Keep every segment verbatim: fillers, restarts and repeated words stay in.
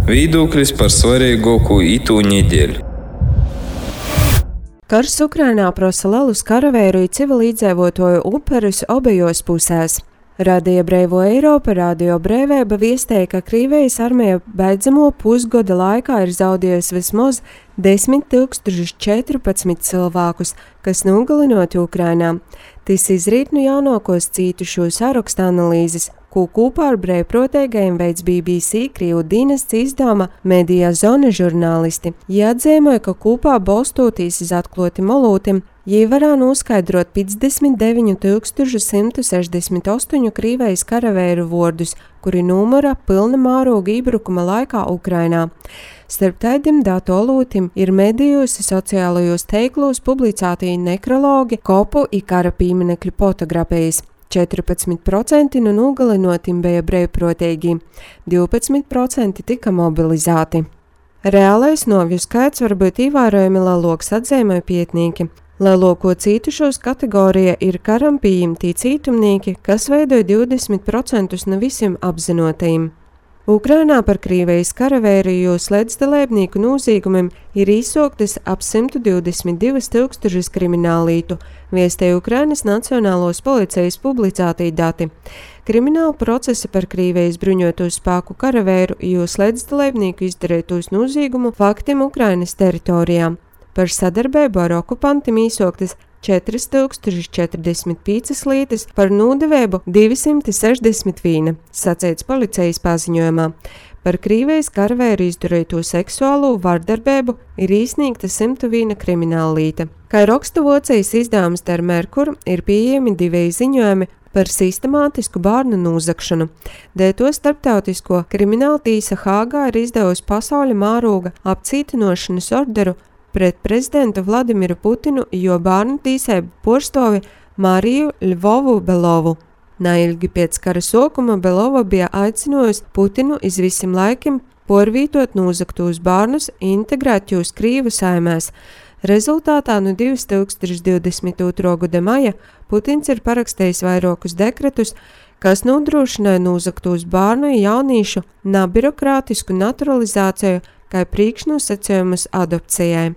Viedoklis par svarīgāko itū nedēļu. Karš Ukrainā prasa lielus karavīru civilizētoju upurus abejos pusēs. Radio Brīvo Eiropa, Radio Brīvība viestēja, ka Krievijas armija beidzamo pusgada laikā ir zaudējusi vismaz desmit tūkstoši četrpadsmit cilvēkus, kas nogalinoti Ukrainā. Tas izrīt no jaunākos cītušo saraksta analīzes, ko kopā ar brīvprātīgajiem veids B B C Krievu dienests izdevuma Media Zona žurnālisti. Jie atzīmēja, ka kopā balstoties uz atklātiem molūtiem, jie varēja noskaidrot piecdesmit deviņi tūkstoši simt sešdesmit astoņi Krievijas karavīru vārdus, kuri numura pilna mēroga iebrukuma laikā Ukrainā. Starp tādiem datu olūtim ir medijos, sociālajos teiklos publicēti nekrologi, kopu un kara pieminekļu fotografijas. četrpadsmit procenti no nogalinotim bija brīvprātīgi, divpadsmit procenti tika mobilizēti. Reālais novju skaits var būt ievērojami lielāks, atzīmēja pētnieki. Lielāko cītušos kategorija ir karam pieņemtī cītumnieki, kas veidoja divdesmit procentus no visiem apzinotajiem. Ukrainā par Krievijas karavīru līdzdalībnieku noziegumiem ir izsoktas ap simt divdesmit divas tūkstošus kriminālītu, viestēja Ukrainas Nacionālos policijas publicētī dati. Krimināla procesi par Krievijas bruņoto spēku karavīru jūs līdzdalībnieku izdarītos noziegumu faktiem Ukrainas teritorijā. Par sadarbību ar okupantiem izsoktas četras tūkstoši četrdesmit piecas lietas, par nodevību divsimt sešdesmit viena, sacīts policijas paziņojumā. Par Krievijas karavīru izdarīto seksuālo vardarbību ir iesniegta simt viena krimināla lieta. Kā raksta Vācijas izdevums Der Merkur, ir pieejami divi ziņojumi par sistemātisku bērnu nozagšanu. Dēļ to starptautisko krimināla tiesa Hāgā ir izdevusi pasaules mēroga apcietinošanas orderu pret prezidentu Vladimiru Putinu, jo bērnu tīsēbu porstovi Mariju Ļvovu Belovu. Neilgi pēc kara sākuma Belova bija aicinājusi Putinu iz visiem laikiem porvītot nozagtos bērnus integrēt jūs Krievu saimēs. Rezultātā no divi tūkstoši divdesmit otrā gada maija Putins ir parakstījis vairākus dekretus, kas nodrošināja nozagtos bērnu jaunīšu nebirokrātisku naturalizāciju kā priekšnosacījumus adopcijai.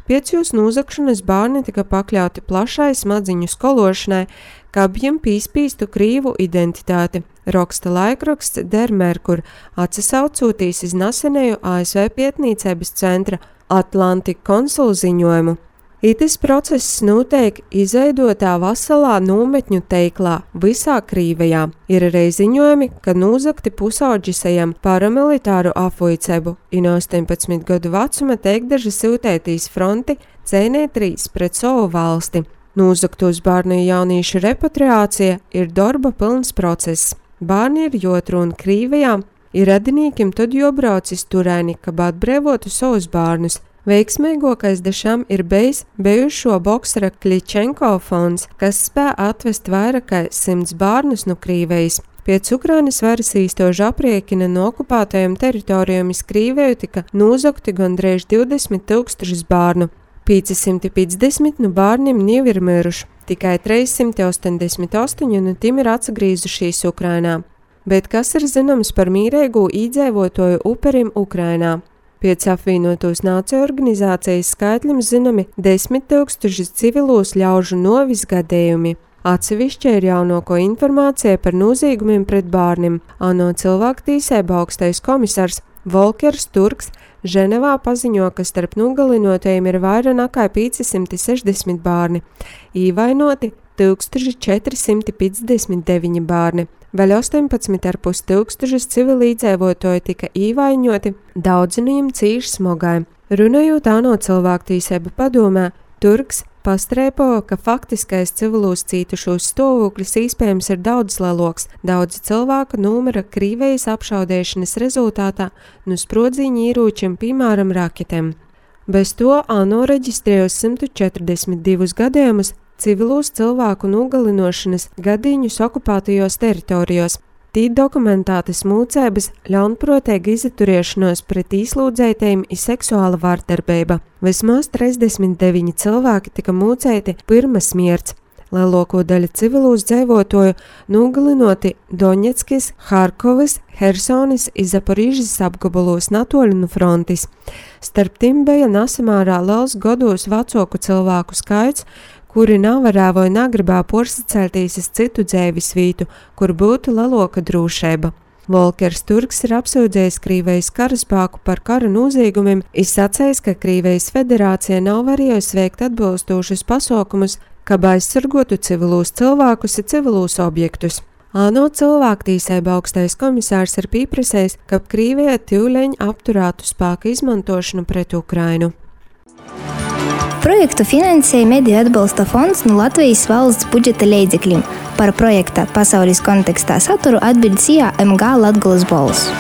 Pēc jūs nozagšanas bērni tika pakļauti plašai smadziņu skološanai, kā viņiem pīspīstu Krievu identitāti, raksta laikraksts Der Merkur, atsasaucoties iz nesenēju A S V pētniecības centra Atlantika konsulu ziņojumu. Itis process notiek izveidotā veselā nometņu teiklā visā Krievijā. Ir arī ziņojumi, ka nozagti pusauģi sajam paramilitāru apvoicību, un astoņpadsmit gadu vecuma teikdaži sūtētīs fronti cīnīties pret savu valsti. Nozagtos bērnu jaunīšu repatriācija ir darba pilns process. Bērni ir jotrūn Krievijā, ir radinīkiem tad jobrauc iz turēni, kad atbrīvotu savus bērnus. Veiksmīgākais dešām ir bijis bijušo boksera Kličenko fonds, kas spēja atvest vairāk kā simts bērnus no Krievijas. Pēc Ukrainas varas īstožu apriekina no okupētajām teritorijām iz Krieviju tika nozagti gandrīz divdesmit tūkstoši bērnu. piecsimt piecdesmit no bērniem jau ir miruši, tikai trīssimt astoņdesmit astoņi no tiem ir atgriezušies Ukrainā. Bet kas ir zināms par mīrīgo iedzīvotāju upuriem Ukrainā? Pēc apvienotās nāciju organizācijas skaitļiem zināmi desmit tūkstoši civilos ļaužu novis gadījumi. Atsevišķi ir jaunāko informācija par noziegumiem pret bērniem. ANO cilvēktiesību augstais komisārs Volkers Turks Ženevā paziņo, ka starp nogalinotajiem ir vairāk nekā piecsimt sešdesmit bērni, īvainoti tūkstoš četri simti piecdesmit deviņi bērni. Vēl astoņpadsmit ar pus tūkstošus civilizētoju tika īvainoti, daudzi no viņiem cīši smogai. Runājot ANO cilvēktiesību padomē, Turks pastrēpo, ka faktiskais civilos cītušos stāvoklis iespējams ir daudz lielāks. Daudzi cilvēku numera Krievijas apšaudēšanas rezultātā no sprodziņu ieročiem, piemēram, raketēm. Bez to ANO reģistrēja simt četrdesmit divus gadījumus civilos cilvēku nogalinošanas gadījumus okupētajos teritorijos. Tī dokumentētas mūcības, ļaunprātīga izturēšanos pret īslūdzētajiem ir seksuāla vardarbība. Vismaz trīsdesmit deviņi cilvēki tika mūcēti pirms smierts. Lielāko daļu civilūs dzīvotoju nogalinoti Doņetskis, Harkovas, Hersonis un Zaporīžas apgabalos natoļu no frontis. Starp tiem bija nesamērā liels gados vecāku cilvēku skaits, kuri nevarēja vai negribēja porsacelties uz citu dzīves vietu, kur būtu lielāka drošība. Volkers Turks ir apsūdzējis Krīvijas karaspēku par kara noziegumiem, izsacējis, ka Krīvijas federācija nav varējusi veikt atbilstošus pasākumus, kā aizsargotu civilūs cilvēkus un civilūs objektus. ANO cilvēktiesība augstais komisārs ir pieprasījis, ka Krīvija tūlēņ apturētu spēku izmantošanu pret Ukrainu. Projektu finansēja Mediju atbalsta fonds no Latvijas valsts budžeta līdzekļiem. Par projekta pasaules kontekstā saturu atbild C A M G Latgolas balss.